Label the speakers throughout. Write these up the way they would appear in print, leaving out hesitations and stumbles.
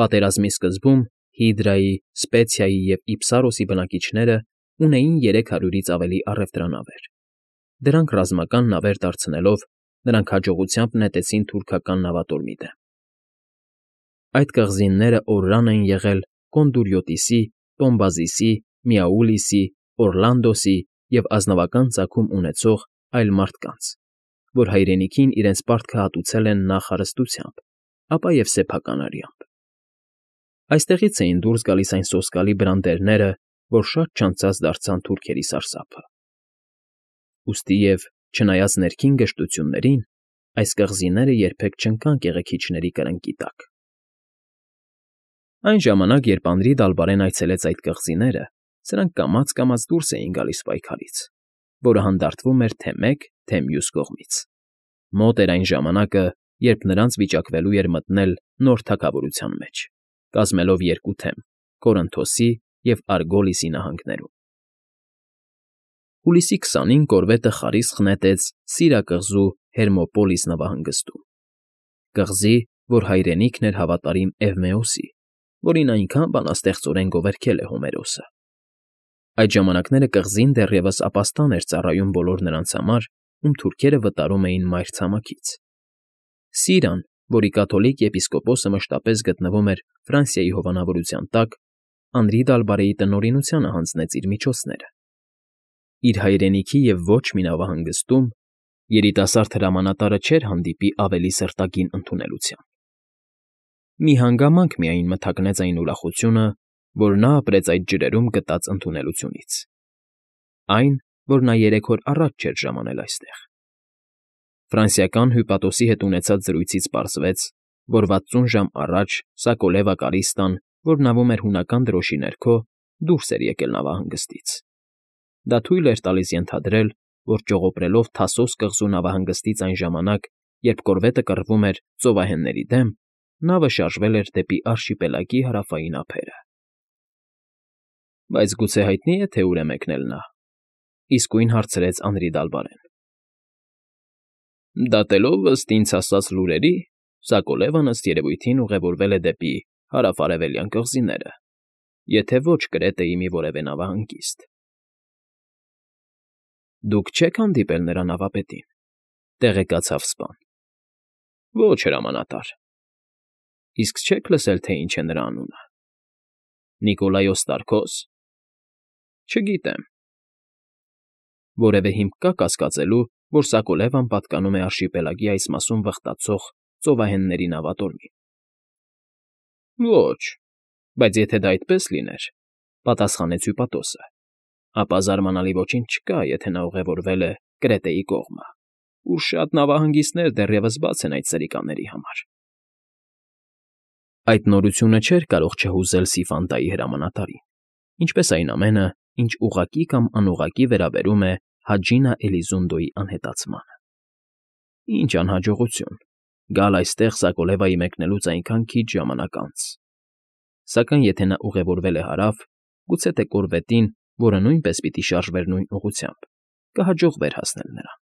Speaker 1: Պատերազմի սկզբում Հիդրայի, Սպեցիայի և Իփսարոսի բնակիչները ունեին 300-ից ավելի առևտրանավեր. դրանք ռազմական նավեր դարձնելով, նրանք հաջողությամբ նետեցին թուրքական նավատորմի դեմ։ Այդ կղզինները օրրան են եղել Կոնդուրյոտիսի, Տոմբազիսի, Միաուլիսի, Օրլանդոսի և ազնվական ծագում ունեցող այլ մարդկանց, որ հայրենիքին իրենց պարտքը հատուցել են նախ հարստությամբ, ապա և սեփական արյամբ։ Այստեղից էին դուրս գալիս այն սոսկալի բրանդերները, որ շատ չանցած դարձան թուրքերի սարսափը։ Ուստիև, չնայած ներքին գժտություններին, այս կղզիները երբեք չընկան կեղեքիչների կրնկի տակ։ Այն ժամանակ, երբ Անդրի այցելեց այդ կղզիները, սրանք կամաց֊կամաց դուրս էին գալիս պայքարից, որը հանդարտվում էր թե մեկ, թե մյուս կողմից։ Մոտ էր այն ժամանակը, երբ նրանց վիճակվելու էր մտնել նոր թագավորության մեջ, կազմելով երկու թեմ՝ Կորինթոսի և Արգոլիսի նահանգներում։ Հուլիսի 20-ին կորվետը խարիսխ նետեց Սիրակղզու Հերմոպոլիս նավահանգստում, կղզի, որ հայրենիքն էր հավատարիմ Էվմեոսի, որին այնքան բանաստեղծորեն գովերգել է Հոմերոսը։ Այդ ժամանակները կղզին դեռևս ապաստան էր ծառայում բոլոր նրանց համար, ում թուրքերը վտարում էին մայրցամաքից։ Սիրան, որի կաթոլիկ եպիսկոպոսը մշտապես գտնվում էր Ֆրանսիայի հովանավորության տակ, Անդրի տնօրինությանը հանձնեց իր միջոցները։ Իր հայրենիքի և ոչ մի նավահանգստում երիտասարդ հրամանատարը չէր հանդիպի ավելի սրտագին ընդունելության։ Մի հանգամանք միայն մթագնեց այն ուրախությունը, որ նա ապրեց այդ ջրերում գտած ընդունելությունից. այն, որ նա 3 օր առաջ չէր ժամանել այստեղ։ Ֆրանսիական հյուպատոսի հետ ունեցած զրույցից պարզվեց, որ 60 ժամ առաջ Սակոլևա Կարիստան, որ նավում էր հունական դրոշի ներքո, դուրս էր եկել նավահանգստից։ Դա թույլ էր տալիս ենթադրել, որ ճողոպրելով Թասոս կղզու նավահանգստից այն ժամանակ, երբ կորվետը կռվում էր ծովահենների դեմ, նավը շարժվել էր դեպի արշիպելագի հարավային ափերը։ Բայց գուցե հայտնի՞ է, թե ուր է մեկնել նա,֊ իսկույն հարցրեց Անրի Դալբարեն։ Դատելով ըստ ինձ հասած լուրերի, Սակոլևան ըստ երևույթին ուղևորվել է դեպի հարավ֊արևելյան կղզիները, եթե ոչ Կրետեի մի որևէ նավահանգիստ։ Դուք չե՞ք հանդիպել նրա նավապետին,֊ տեղեկացավ սպան։ Ոչ, հրամանատար։ Իսկ չե՞ք լսել, թե ինչ է նրա անունը։ Նիկոլայոս Տարքո՞ս։ Չգիտեմ։ Որևէ հիմք կա կասկածելու, որ Սակոլևան պատկանում է արշիպելագի այս մասում վխտացող ծովահենների նավատորմին։ Ոչ, բայց եթե դա այդպես լիներ,֊ պատասխանեց հյուպատոսը, ապա զարմանալի ոչինչ չկա, եթե նա ուղևորվել է Կրետեի կողմը, ուր շատ նավահանգիստներ դեռևս բաց են այդ սրիկաների համար։ Այդ նորությունը չէր կարող չհուզել Սիֆանդայի հրամանատարին, ինչպես այն ամենը, ինչ ուղղակի կամ անուղղակի վերաբերում է Հաջինա Էլիզունդոյի անհետացմանը։ Ինչ անհաջողություն՝ գալ այստեղ Սակոլևայի մեկնելուց այնքան քիչ ժամանակ անց։ Սակայն եթե նա ուղևորվել է հարավ, գուցե թե կորվետին, որը նույնպես պիտի շարժվեր նույն ուղղությամբ, կհաջողվեր հասնել նրան։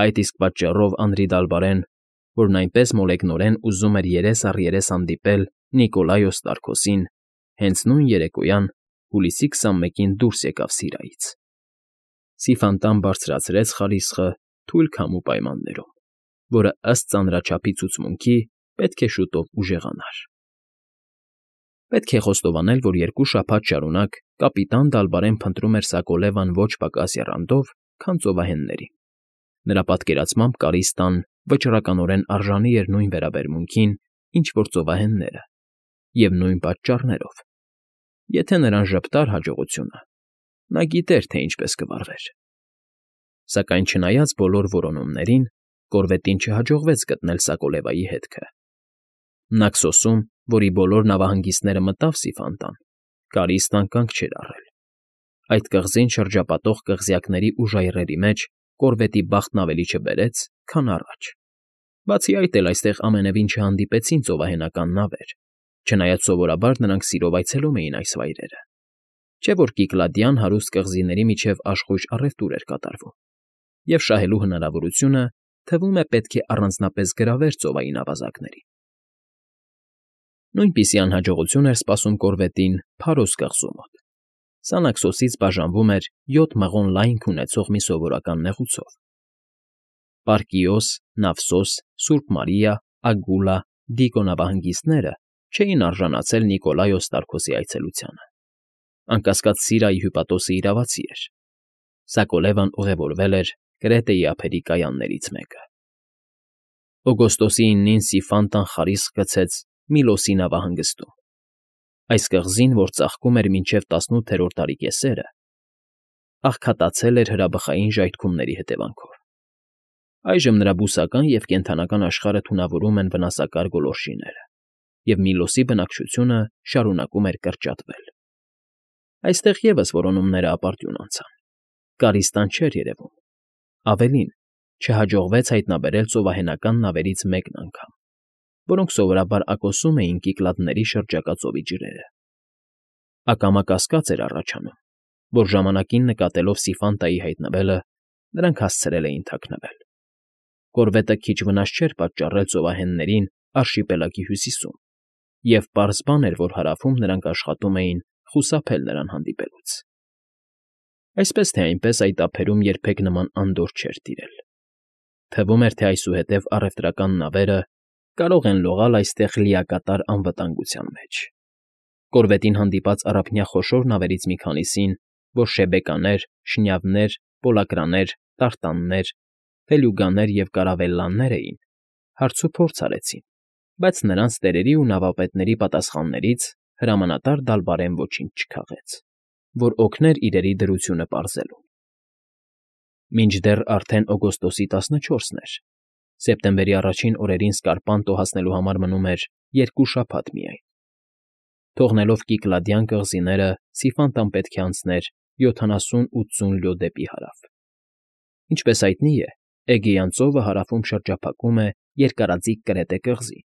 Speaker 1: Այդ իսկ պատճառով Անրի Դալբարեն, որն այնպես մոլեգնորեն ուզում էր երես առ երես հանդիպել Նիկոլայոս Տարքոսին, հենց նույն երեկոյան, հուլիսի 21-ին դուրս եկավ Սիրայից։ Սիֆանդան բարձրացրեց խարիսխը թույլ քամու պայմաններում, որը ըստ ծանրաչափի ցուցմունքի պետք է շուտով ուժեղանար։ Պետք է խոստովանել, որ 2 շաբաթ շարունակ կապիտան Դալբարեն փնտրում էր Սակոլևան ոչ պակաս եռանդով, քան ծովահեններին։ Նրա պատկերացմամբ Կարիստան վճռականորեն արժանի էր նույն վերաբերմունքին, ինչ որ ծովահենները, և նույն պատճառներով։ Եթե նրան ժպտար հաջողությունը, նա գիտեր, թե ինչպես կվարվեր։ Սակայն չնայած բոլոր որոնումներին, կորվետին չհաջողվեց գտնել Սակոլևայի հետքը։ Նաքսոսում, որի բոլոր նավահանգիստները մտավ Սիֆանդան, Կարիստան կանգ չէր առել։ Այդ կղզին շրջապատող կղզյակների ու ժայռերի մեջ կորվետի բախտն ավելի չբերեց, քան առաջ։ Բացի այդ էլ այստեղ ամենևին չհանդիպեցին ծովահենական նավեր, չնայած սովորաբար նրանք սիրով այցելում էին այս վայրերը, չէ՞ որ Կիკლադյան հարուստ կղզիների միջև աշխույժ առևտուր էր կատարվում, և շահելու հնարավորությունը, թվում է, պետք է առանձնապես գրավեր ծովային ավազակներին։ Նույնպիսի անհաջողություն էր սպասում կորվետին Փարոս կղզու մոտ։ Սա Նաքսոսից բաժանվում էր 7 մղոն լայնք ունեցող մի սովորական նեղուցով։ Պարկիոս, Նավսոս, Սուրբ Մարիա, Ագուլա, Դիկո նավահանգիստները չէին արժանացել Նիկոլայոս Տարքոսի այցելությանը։ Անկասկած Սիրայի հյուպատոսը իրավացի էր։ Սակոլևան ուղևորվել էր Կրետեի ափերի կայաններից մեկը։ Օգոստոսի 9-ին Սիֆանտան խարիսկ գցեց Միլոսի նավահանգստում։ Այս կղզին, որ ծաղկում էր մինչև 18-րդ դարի կեսերը, աղքատացել էր հրաբխային ժայթքումների հետևանքով։ Այժմ նրա բուսական և կենդանական աշխարհը թունավորում են վնասակար գոլորշիները, և Միլոսի բնակչությունը շարունակում էր կրճատվել։ Այստեղ ևս որոնումները ապարդյուն անցան։ Կարիստան չէր երևում։ Ավելին, չհաջողվեց հայտնաբերել ծովահենական նավերից մեկն անգամ, որոնք սովորաբար ակոսում էին Կիկլադների շրջակա ծովի ջրերը։ Ակամա կասկած էր առաջանում, որ ժամանակին նկատելով Սիֆանտայի հայտնվելը, նրանք հասցրել էին թաքնվել։ Կորվետը քիչ վնաս չէր պատճառել ծովահեններին արշիպելագի հյուսիսում, և պարզ բան էր, որ հարավում նրանք աշխատում էին խուսափել նրան հանդիպելուց։ Այսպես թե այնպես այդ ափերում երբեք նման անդորր չէր տիրել։ Թվում էր, թե այսուհետև առևտրական նավերը կարող են լողալ այստեղ լիակատար անվտանգության մեջ։ Կորվետին հանդիպած առափնյա խոշոր նավերից մի քանիսին, որ շեբեկաներ, շնյավներ, պոլակրաներ, տարտաններ, ֆելյուգաներ և կարավելլաներ էին, հարցուփորձ արեցին, բայց նրանց տերերի ու նավապետների պատասխաններից հրամանատար Դալբարեն ոչինչ չքաղեց, որ օգներ իրերի դրությունը պարզելուն։ Մինչդեռ արդեն օգոստոսի 14-ն էր, սեպտեմբերի առաջին օրերին Սկարպանտո հասնելու համար մնում էր 2 շաբաթ միայն։ Թողնելով Կիկլադյան կղզիները Սիֆանտան պետք է անցներ 70-80 լյո դեպի հարավ։ Ինչպես հայտնի է, Էգեյան ծովը հարավում շրջափակում է երկարաձիգ Կրետե կղզին,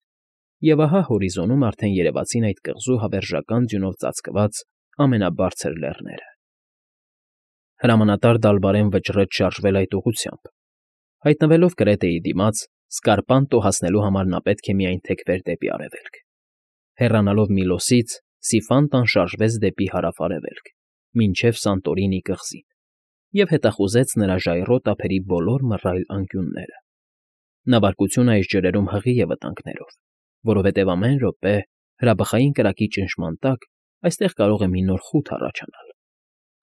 Speaker 1: և ահա հորիզոնում արդեն երևացին այդ կղզու հավերժական ձյունով ծածկված ամենաբարձր լեռները։ Հրամանատար Դալբարեն վճռեց շարժվել այդ ուղղությամբ։ Հայտնվելով Կրետեի դիմաց, Սկարպանտո հասնելու համար նա պետք է միայն թեքվեր դեպի արևելք։ Հեռանալով Միլոսից, Սիֆանտան շարժվեց դեպի հարավ֊արևելք, մինչև Սանտորինի կղզին, և հետախուզեց նրա ժայռոտ ափերի բոլոր մռայլ անկյունները։ Նավարկությունը այս ջրերում հղի է վտանգներով, որովհետև ամեն րոպե հրաբխային կրակի ճնշման տակ այստեղ կարող է մի նոր խութ առաջանալ։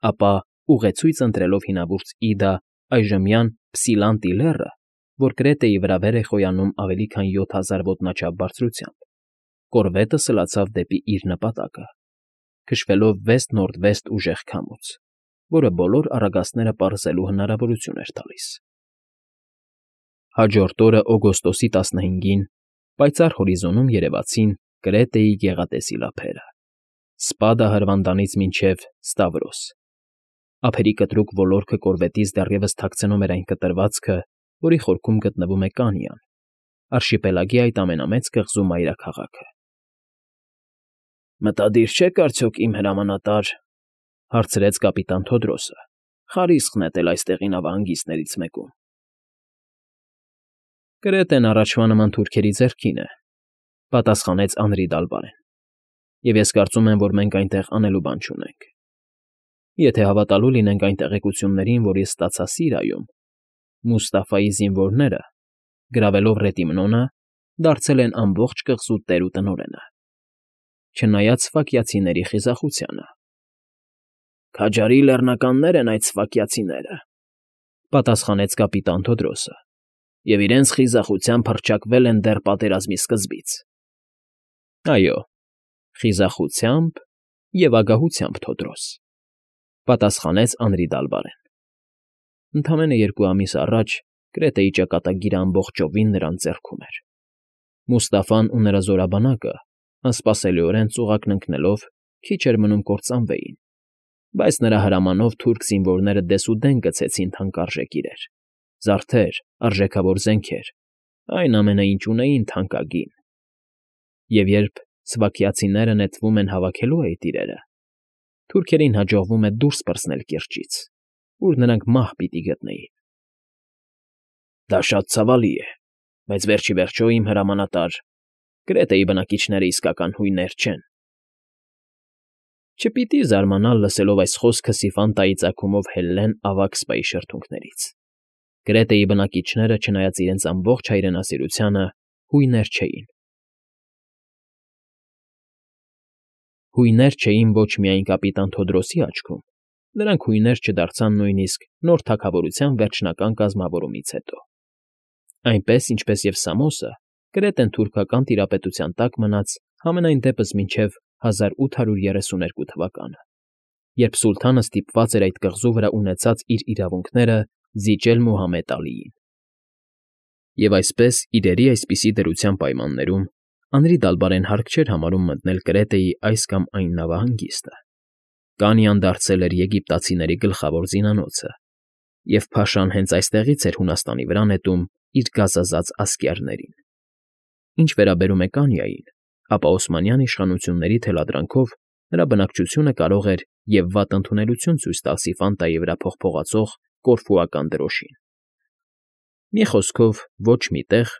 Speaker 1: Ապա, ուղեցույց ընտրելով հինավուրց Իդա այժմյան Փսիլանտի լեռը, որ Կրետեի վրա վեր է խոյանում ավելի քան 7000 ոտնաչափ բարձրությամբ, կորվետը սլացավ դեպի իր նպատակը, քշվելով վեստ-նորդվեստ ուժեղ քամուց, որը բոլոր առագաստները պարզելու հնարավորություն էր տալիս։ Հաջորդ օրը օգոստոսի 15-ին պայծառ հորիզոնում երևացին Կրետեի գեղատեսիլ ափերը, Սպադա հրվանդանից մինչև Ստավրոս։ Ափերի կտրուկ ոլորքը կորվետից դեռևս թաքցնում էր այն կտրվածքը, որի խորքում գտնվում է Կանյան, արշիպելագի այդ ամենամեծ կղզու մայրաքաղաքը։ «Մտադիր չեք արդյոք, իմ հրամանատար,֊ հարցրեց կապիտան Թոդրոսը,֊ խարիսկ նետել այստեղի նավահանգիստներից մեկում»։ Կրետեն առաջվա նման թուրքերի ձեռքին է,֊ պատասխանեց Անրի Դալբարեն,֊ և ես կարծում եմ, որ մենք այնտեղ անելու բան չունենք։ Եթե հավատալու լինենք այն տեղեկություններին, որ ես ստացա Սիրիայում, Մուստաֆայի զինվորները, գրավելով Ռետիմնոնը, դարձել են ամբողջ կղզու տեր ու տնօրենը, չնայած Սֆակիացիների խիզախությանը։ ֊ Քաջարի լեռնականներ են այդ սֆակիացիները,֊ պատասխանեց կապիտան Թոդրոսը,֊ և իրենց խիզախությամբ հռչակվել են դեռ պատերազմի սկզբից։ ֊ Այո, խիզախությամբ և ագահությամբ, Թոդրոս,֊ պատասխանեց Անրի Դալբարեն։ Ընդամենը 2 ամիս առաջ Կրետեի ճակատագիրը ամբողջովին նրանց ձեռքում էր։ Մուստաֆան ու նրա զորաբանակը, անսպասելիորեն ծուղակն ընկնելով, քիչ էր մնում կործանվեին, բայց նրա հրամանով թուրք զինվորները դեսուդեն գցեցին թանկարժեք իրեր, զարդեր, արժեքավոր զենքեր, այն ամենը, ինչ ունեին թանկագին։ Եվ երբ սվաքիացիները նետվում են հավաքելու այդ իրերը, թուրքերին հաջողվում է դուրս պրծնել կիրճից, ուր նրանք մահ պիտի գտնեին։ ֊ Դա շատ ցավալի է, բայց վերջ ի վերջո, իմ հրամանատար, Կրետեի բնակիչները իսկական հույներ չեն։ Չպիտի զարմանալ լսելով այս խոսքը Սիֆանտայի ծագումով Հելլեն ավագ սպայի շրթունքներից։ Կրետեի բնակիչները, չնայած իրենց ամբողջ հայրենասիրությանը, հույներ չէին։ Հույներ չէին ոչ միայն կապիտան Թոդրոսի աչքում, նրանք հույներ չդարձան նույնիսկ նոր թագավորության վերջնական կազմավորումից հետո։ Այնպես, ինչպես և Սամոսը, Կրետեն թուրքական տիրապետության տակ մնաց համենայն դեպս մինչև 1832 թվականը, երբ սուլթանը ստիպված էր այդ կղզու վրա ունեցած իր իրավունքները զիջել Մուհամեդ Ալիին։ Եվ այսպես, իրերի այսպիսի դրության պայմաններում Անրի Դալբարեն հարկ չէր համարում մտնել Կրետեի այս կամ այն նավահանգիստը։ Կանյան դարձել էր եգիպտացիների գլխավոր զինանոցը, և Փաշան հենց այստեղից էր Հունաստանի վրա նետում իր գազազած ասկյարներին։ Ինչ վերաբերում է Կանիային, ապա Օսմանյան իշխանությունների թելադրանքով նրա բնակչությունը կարող էր և վատ ընդունելություն ցույց տալ Սիֆանտայի վրա փողփողացող կորֆուական դրոշին։ Մի խոսքով, ոչ մի տեղ,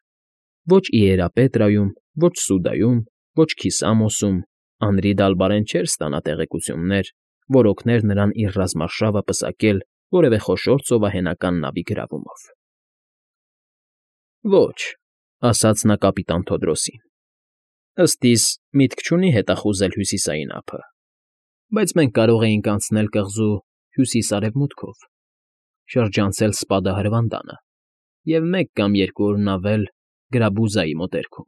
Speaker 1: ոչ Իերապետրայում, ոչ Սուդայում, ոչ Քիսամոսում Անրի Դալբարեն չէր ստանա տեղեկություններ, որ օգներ նրան իր ռազմարշավը պսակել որևէ խոշոր ծովահենական նավի գրավումով։ Ոչ, ասաց նա կապիտան Թոդրոսին, ըստ իս միտք չունի հետախուզել հյուսիսային ափը, բայց մենք կարող էինք անցնել կղզու հյուսիս֊արևմուտքով, շրջանցել Սպադա հրվանդանը և մեկ կամ երկու օր նավել Գրաբուզայի մոտերքում։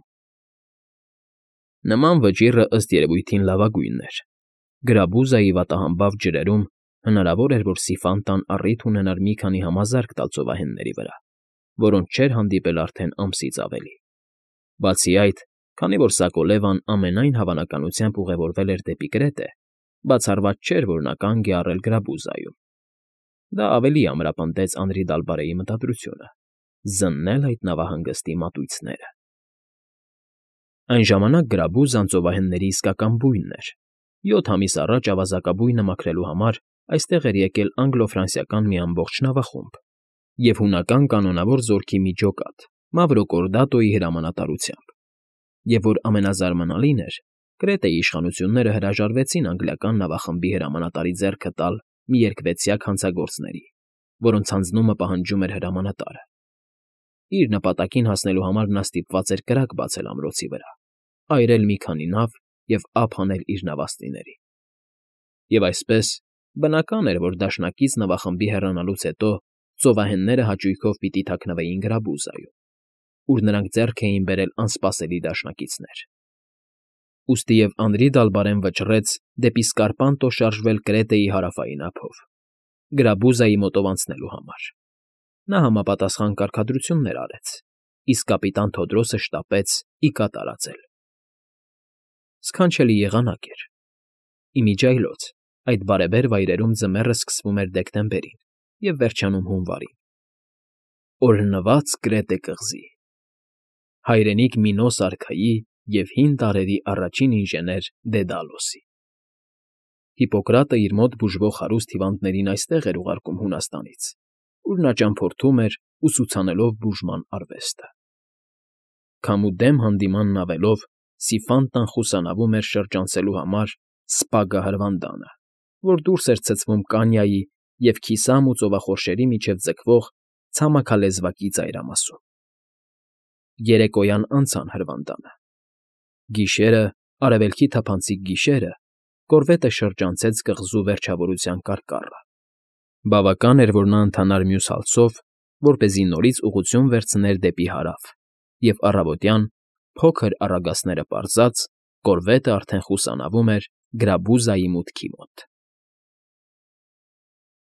Speaker 1: Նման վճիռը ըստ երևույթին լավագույնն էր։ Գրաբուզայի վատահամբավ ջրերում հնարավոր էր, որ Սիֆանտան առիթ ունենար մի քանի համազարկ տալ ծովահենների վրա, որոնց չէր հանդիպել արդեն ամսից ավելի։ Բացի այդ, քանի որ Սակոլևան ամենայն հավանականությամբ ուղևորվել էր դեպի Կրետե, բացառված չէր, որ նա կանգ է առել Գրաբուզայում։ Դա ավելի ամրապնդեց Անրի Դալբարեի մտադրությունը՝ զննել այդ նավահանգստի մատույցները։ Այն ժամանակ Գրաբուզան ծովահենների իսկական բույնն էր։ 7 ամիս առաջ ավազակաբույնը մաքրելու համար այստեղ էր եկել անգլո֊ֆրանսիական մի ամբողջ նավախումբ և հունական կանոնավոր զորքի մի ջոկատ Մավրոկորդատոյի հրամանատարությամբ։ Եվ որ ամենազարմանալին էր, Կրետեի իշխանությունները հրաժարվեցին անգլիական նավախմբի հրամանատարի ձեռքը տալ մի երկվեցյակ հանցագործների, որոնց հանձնումը պահանջում էր հրամանատարը։ Իր նպատակին հասնելու համար նա ստիպված էր կրակ բացել ամրոցի վրա, այրել մի քանի նավ և ափ հանել իր նավաստիներին։ Եվ այսպես, բնական էր, որ դաշնակից նավախմբի հեռանալուց հետո ծովահենները հաճույքով պիտի թաքնվեին Գրաբուզայում, ուր նրանք ձեռք էին բերել անսպասելի դաշնակիցներ։ Ուստի և Անրի Դալբարեն վճռեց դեպի Սկարպանտո շարժվել Կրետեի հարավային ափով, Գրաբուզայի մոտով անցնելու համար։ Նա համապատասխան կարգադրություններ արեց, իսկ կապիտան Թոդրոսը շտապեց ի կատար ածել։ Սքանչելի եղանակ էր։ Իմիջիայլոց այդ բարեբեր վայրերում ձմեռը սկսվում էր դեկտեմբերին և վերջանում հունվարին։ Օրհնված Կրետե կղզի, հայրենիք Մինոս արքայի և հին տարրերի առաջին ինժեներ Դեդալոսի։ Հիպոկրատը իր մոտ բուժվող հարուստ հիվանդներին այստեղ էր ուղարկում Հունաստանից, ուր նա ճամփորդում էր, ուսուցանելով բուժման արվեստը։ Քամու դեմ հանդիմանն ավելով Սիֆանտան խուսանավում էր շրջանցելու համար Սպագա հրվանդանը, որ դուրս էր ցցվում Կանիայի և Քիսամու ծովախորշերի միջև ձգվող ցամաքալեզվակի ծայրամասում։ Երեկոյան անցան հրվանդանը։ Գիշերը, արևելքի թափանցիկ գիշերը, կորվետը շրջանցեց կղզու վերջավորության կարկառը։ Բավական էր, որ նա ընթանար մյուս հալցով, որպեսզի նորից ուղղություն վերցներ դեպի հարավ, և առավոտյան, փոքր առագաստները պարզած, կորվետը արդեն խուսանավում էր Գրաբուզայի մուտքի մոտ։